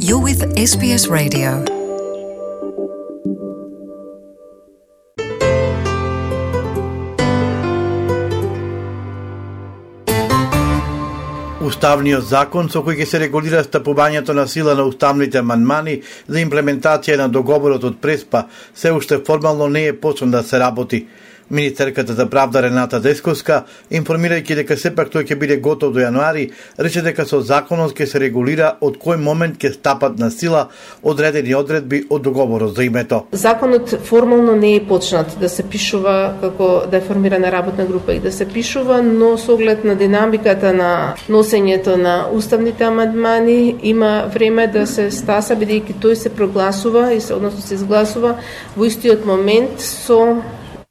You're with SBS Radio. Уставниот закон со кој ќе се регулира стапувањето на сила на уставните амандмани за имплементација на договорот од Преспа се уште формално не е почнал да се работи. Министерката за правда Рената Десковска, информирајќи дека сепак тој ќе биде готов до јануари, рече дека со законот ќе се регулира од кој момент ќе стапат на сила одредени одредби од договорот за името. Законот формално не е почнат да се пишува како да е формирана работна група и да се пишува, но со оглед на динамиката на носењето на уставните амандмани има време да се стаса, бидејќи тој се прогласува и односно се изгласува во истиот момент со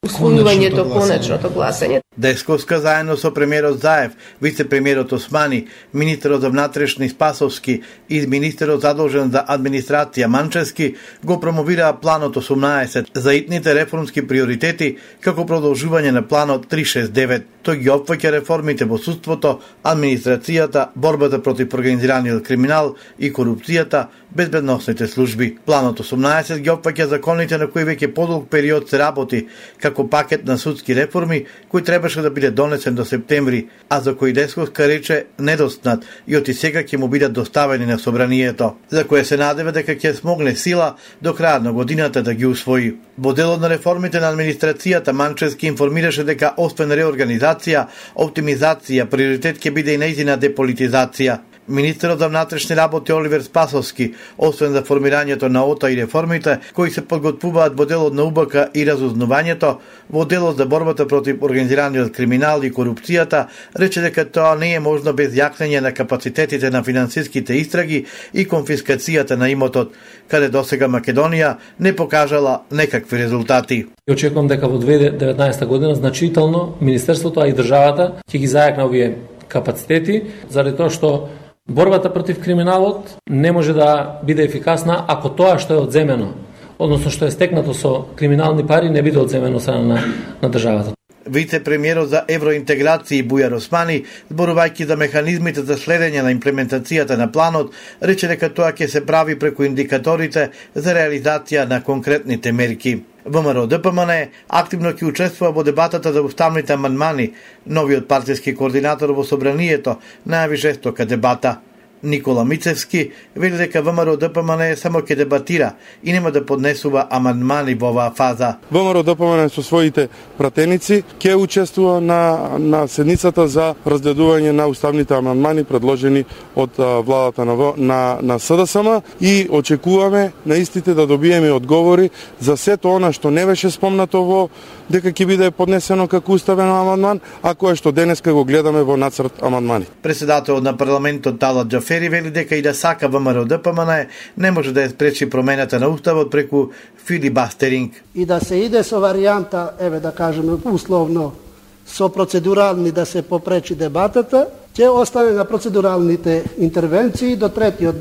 усвојувањето, конечното гласање. Десковска заедно со премиерот Заев, вице-премиерот Османи, министерот за внатрешни Спасовски и министерот задолжен за администрација Манчевски го промовираа планот 18 за итните реформски приоритети како продолжување на планот 369. Тој ги опфаќа реформите во судството, администрацијата, борбата против организираниот криминал и корупцијата, безбедносните служби. Планот 18 ги опфаќа законите на кои веќе подолг период се работи, како пакет на судски реформи кој требаше да биде донесен до септември, а за кој Десковска рече недостнат и оти сега ќе му бидат доставени на собранието, за кое се надева дека ќе смогне сила до крајот на годината да ги усвои. Во делот на реформите на администрацијата Манчевски информираше дека освен реорганизација, оптимизација, приоритет ќе биде и нејзина деполитизација. Министерот за внатрешни работи Оливер Спасовски, освен за формирањето на ОТА и реформите кои се подготвуваат во делот на УБК и разузнавањето, во делот за борбата против организираниот криминал и корупцијата, рече дека тоа не е можно без јакнење на капацитетите на финансиските истраги и конфискацијата на имотот, каде досега Македонија не покажала некакви резултати. Очекувам дека во 2019 година значително Министерството, а и државата ќе ги зајакне овие капацитети, заради тоа што борбата против криминалот не може да биде ефикасна ако тоа што е одземено, односно што е стекнато со криминални пари, не биде одземено на државата. Вице-премиерот за евроинтеграција Бујар Османи, зборувајќи за механизмите за следење на имплементацијата на планот, рече дека тоа ќе се прави преку индикаторите за реализација на конкретните мерки. ВМРО ДПМН активно ќе учествува во дебатата за уставните амандмани. Новиот партиски координатор во собранието најави жестока дебата. Никола Мицевски вели дека ВМРО ДПМН само ќе дебатира и нема да поднесува амандмани во оваа фаза. ВМРО ДПМН со своите пратеници ќе учествува на седницата за разгледување на уставните амандмани предложени од владата на СДСМ и очекуваме на истите да добиеме одговори за сето она што не беше спомнато во дека ќе биде поднесено како уставен амандман, а кое што денеска го гледаме во нацрт амандмани. Председателот на парламентот Талат Џафери вели дека и да сака ВМРО ДПМН не може да ја спречи промената на уставот преку филибастеринг. И да се иде со варијанта, еве да кажеме условно, со процедурални да се попречи дебатата, ќе остане на процедуралните интервенции до третиот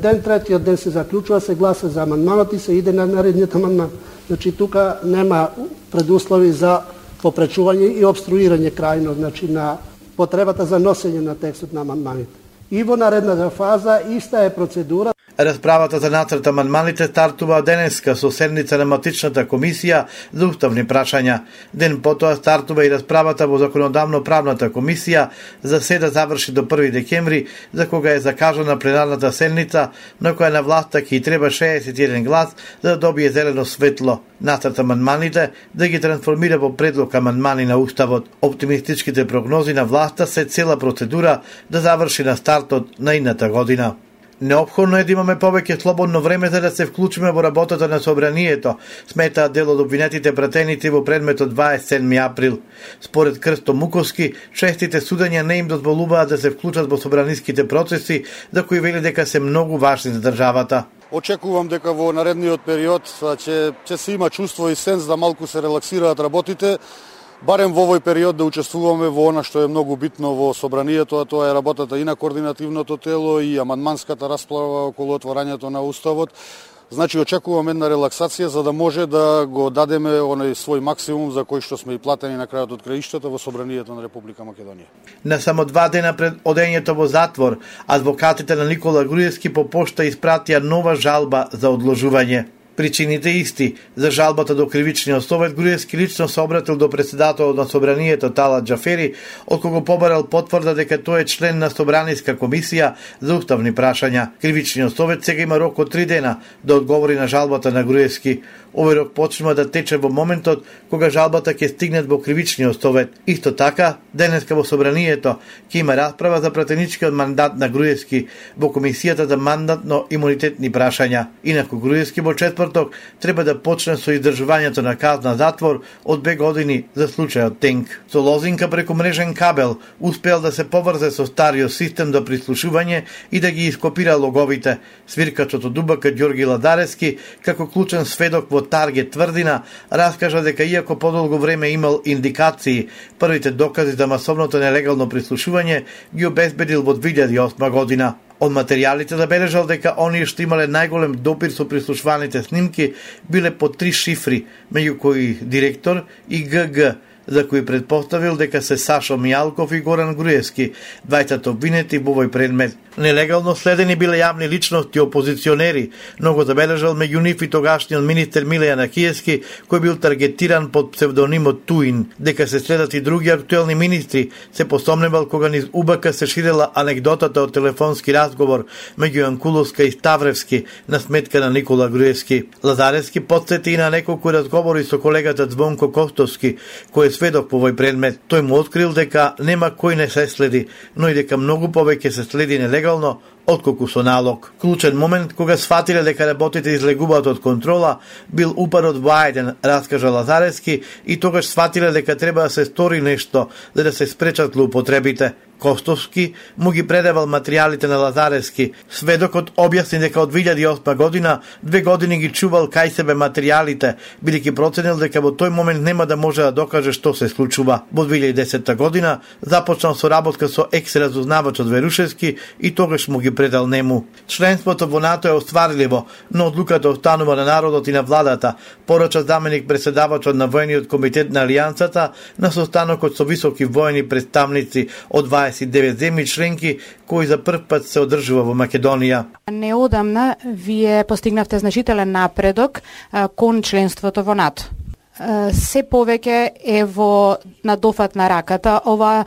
ден се заклучува, се гласа за амандманот и се иде на наредниот амандман. Значи тука нема предуслови за попречување и обструирање крајно, значи на потребата за носење на текстот на амандманите. И во наредната фаза иста е процедура. Расправата за нацрт амандманите стартува денеска со седница на матичната комисија за уставни прашања. Ден потоа стартува и расправата во законодавно-правната комисија за се да заврши до 1 декември, за кога е закажана пленарната седница, на која на власта ќе треба 61 глас за да добие зелено светло. Нацрт амандманите да ги трансформира во предлог амандмани на уставот. Оптимистичките прогнози на власта се цела процедура да заврши на стартот на идната година. Неопходно е да имаме повеќе слободно време за да се вклучиме во работата на собранието, сметаат дел од обвинетите пратеници во предметот 27 април. Според Крсто Муковски, честите судења не им дозволуваат да се вклучат во собраниските процеси, за кои вели дека се многу важни за државата. Очекувам дека во наредниот период ќе се има чувство и сенс да малку се релаксираат работите, барем во овој период да учествуваме во она што е многу битно во собранието, а тоа е работата и на координативното тело и амандманската расправа околу отворањето на уставот, Значи очекуваме една релаксација за да може да го дадеме оној свој максимум за кој што сме и платени на крајот од краиштата во собранието на Република Македонија. На само 2 дена пред одењето во затвор, адвокатите на Никола Груевски по пошта испратија нова жалба за одложување. Причините исти. За жалбата до кривичниот совет, Груевски лично се обратил до председателот на собранието Талат Џафери, од кого побарал потврда дека тој е член на собраниска комисија за уставни прашања. Кривичниот совет сега има рок од 3 дена да одговори на жалбата на Груевски. Овој рок почнува да тече во моментот кога жалбата ќе стигне во кривичниот совет. Исто така, денеска во собранието ќе има расправа за пратеничкиот мандат на Груевски во комисијата за мандатно-имунитетни прашања. Инаку Груевски во четврток треба да почне со издржувањето на казна затвор од 2 години за случајот Тенк. Со лозинка преку мрежен кабел успеал да се поврзе со стариот систем за прислушување и да ги ископира логовите. Свиркачот од УБК Ѓорги Лазаревски, како клучен сведок во Таргет тврдина, раскажа дека иако подолго време имал индикации, првите докази за масовното нелегално прислушување ги обезбедил во 2008 година. Од материјалите забележал дека оние што имале најголем допир со прислушваните снимки биле по 3 шифри, меѓу кои директор и ГГ, за кои предпоставил дека се Сашо Мијалков и Горан Груевски, двајцата обвинети во овој предмет. Нелегално следени биле јавни личности опозиционери, но го забележал меѓу нив и тогашниот министер Милејан Акиевски, кој бил таргетиран под псевдонимот Туин. Дека се следат и други актуелни министри, се посомневал кога низ УБК се ширела анегдотата од телефонски разговор меѓу Јанкуловска и Ставревски на сметка на Никола Груевски. Лазаревски потсети и на неколку разговори со колегата Звонко Костовски, кој е сведок по овој предмет. Тој му открил дека нема кој не се следи, но и дека многу повеќе се следи нелегално отколку со налог. Клучен момент кога сфатиле дека работите излегуваат од контрола бил упарот во Ајден, раскажа Лазаревски, и тогаш сфатиле дека треба да се стори нешто за да се спречат злоупотребите. Костовски му ги предавал материјалите на Лазаревски. Сведокот објасни дека од 2008 година 2 години ги чувал кај себе материјалите, бидејќи проценил дека во тој момент нема да може да докаже што се случува. Во 2010 година започнал соработка со екс-разузнавачот Верушевски и тогаш му ги предал нему. Членството во НАТО е остварливо, но одлуката останува на народот и на владата, порача заменик председавачот на војниот комитет на Алијансата на состанокот со високи војни представници од 29 земји членки кои за прв пат се одржува во Македонија. Неодамна вие постигнавте значителен напредок кон членството во НАТО. Се повеќе е во надофат на раката. Ова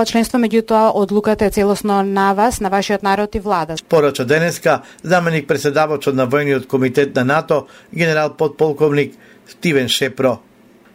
членство, меѓутоа, одлуката е целосно на вас, на вашиот народ и влада. Порача денеска заменик председавачот на војниот комитет на НАТО, генерал подполковник Стивен Шепро.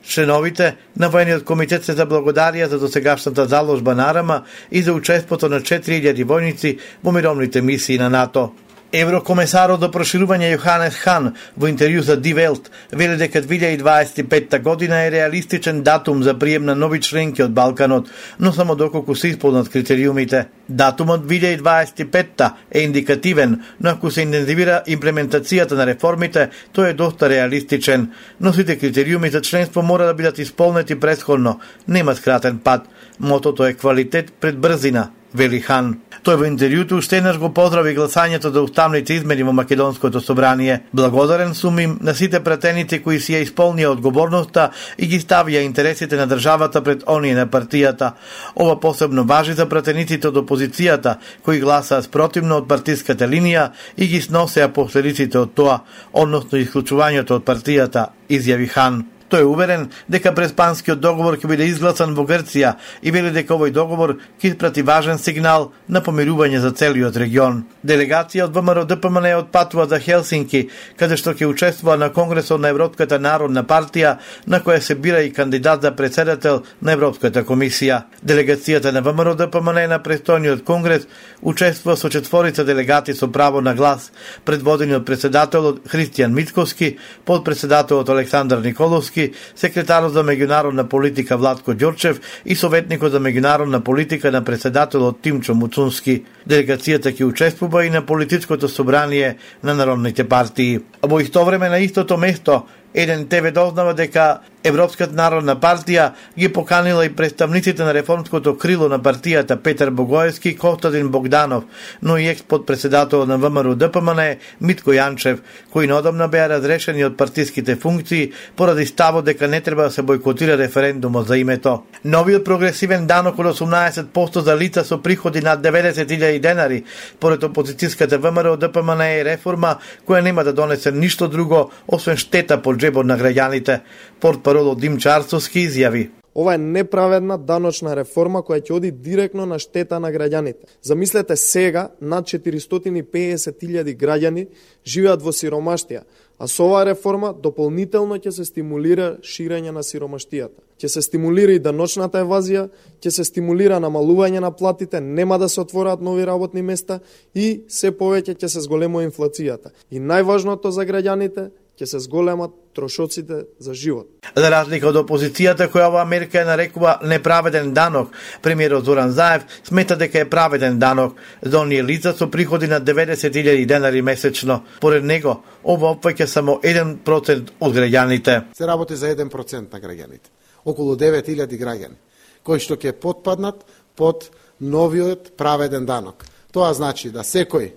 Членовите на војниот комитет се заблагодарија за досегашната заложба на Арама и за учеството на 4000 војници во мировните мисии на НАТО. Еврокомесарот до проширување Јоханес Хан во интервју за Die Welt вели дека 2025 година е реалистичен датум за прием на нови членки од Балканот, но само доколку се исполнат критериумите. Датумот 2025 е индикативен, но ако се интензивира имплементацијата на реформите, тој е доста реалистичен. Но сите критериуми за членство мора да бидат исполнети претходно, нема скратен пат. Мотото е квалитет пред брзина, вели Хан. Тој во интервјуто уште еднаш го поздрави гласањето за уставните измени во Македонското собрание. Благодарен сум им на сите пратеници кои си ја исполнија одговорноста и ги ставија интересите на државата пред оние на партијата. Ова посебно важи за пратениците од опозицијата, кои гласаа спротивно од партиската линија и ги сносеа последиците од тоа, односно исклучувањето од партијата, изјави Хан. Тој е уверен дека преспанскиот договор ќе биде изгласан во Грција и вели дека овој договор ќе испрати важен сигнал на помирување за целиот регион. Делегација од ВМРО-ДПМН отпатува за Хелсинки, каде што ќе учествува на Конгресот на Европската народна партија, на која се бира и кандидат за председател на Европската комисија. Делегацијата на ВМРО-ДПМН на престојниот конгрес учествува со 4 делегати со право на глас, предводени од председателот Христијан Мицковски, подпредседателот Александар Николовски, секретарот за меѓународна политика Владко Ѓорчев и советникот за меѓународна политика на председателот Тимчо Муцунски. Делегацијата ќе учествува и на политичкото собрание на народните партии. Во исто време на истото место, еден ТВ дознава дека Европската народна партија ги поканила и представниците на реформското крило на партијата Петар Богоевски и Костадин Богданов, но и екс-подпредседател на ВМРО ДПМН Митко Јанчев, кои неодамна беа разрешени од партиските функции поради ставот дека не треба да се бојкотира референдумот за името. Новиот прогресивен данок од 18% за лица со приходи над 90.000 денари, поред опозицијската ВМРО ДПМН е реформа која нема да донесе ништо друго освен штета по џебот на граѓаните. Портпарол Димчо Арцовски изјави: Ова е неправедна даночна реформа која ќе оди директно на штета на граѓаните. Замислете сега, над 450.000 граѓани живеат во сиромаштија, а со оваа реформа дополнително ќе се стимулира ширење на сиромаштијата. Ќе се стимулира и даночната евазија, ќе се стимулира намалување на платите, нема да се отвораат нови работни места и се повеќе ќе се зголемува инфлацијата. И најважното за граѓаните, ќе се зголемат трошоците за живот. За разлика од опозицијата која оваа мерка ја нарекува неправеден данок, премиерот Зоран Заев смета дека е праведен данок за оние лица со приходи на 90.000 денари месечно. Поред него, ова опфаќа само 1% од граѓаните. Се работи за 1% на граѓаните. Околу 9.000 граѓани, кои што ќе потпаднат под новиот праведен данок. Тоа значи да секој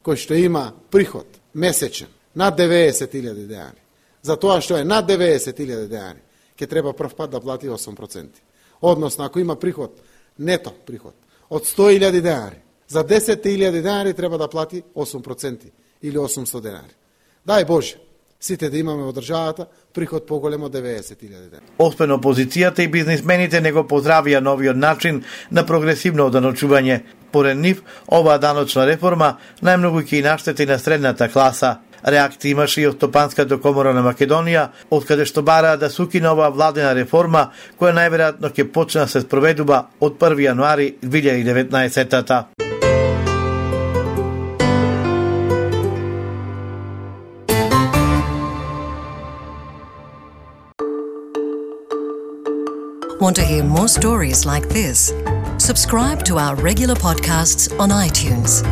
кој што има приход месечен над 90.000 денари, за тоа што е над 90.000 денари, ќе треба прв пат да плати 8%. Односно, ако има приход, нето приход, од 100.000 денари, за 10.000 денари треба да плати 8% или 800 денари. Дај Боже, сите да имаме во државата приход поголем од 90.000 денари. Оспен опозицијата и бизнисмените не го поздравија новиот начин на прогресивно оданочување. Поред нив, оваа даночна реформа најмногу ќе и наштети на средната класа. Реакција имаше и од Стопанската комора на Македонија, од каде што бараа да се укине оваа владена реформа, која најверојатно ќе почне да се спроведува од 1 јануари 2019-та. Want to hear more stories like this? Subscribe to our regular podcasts on iTunes.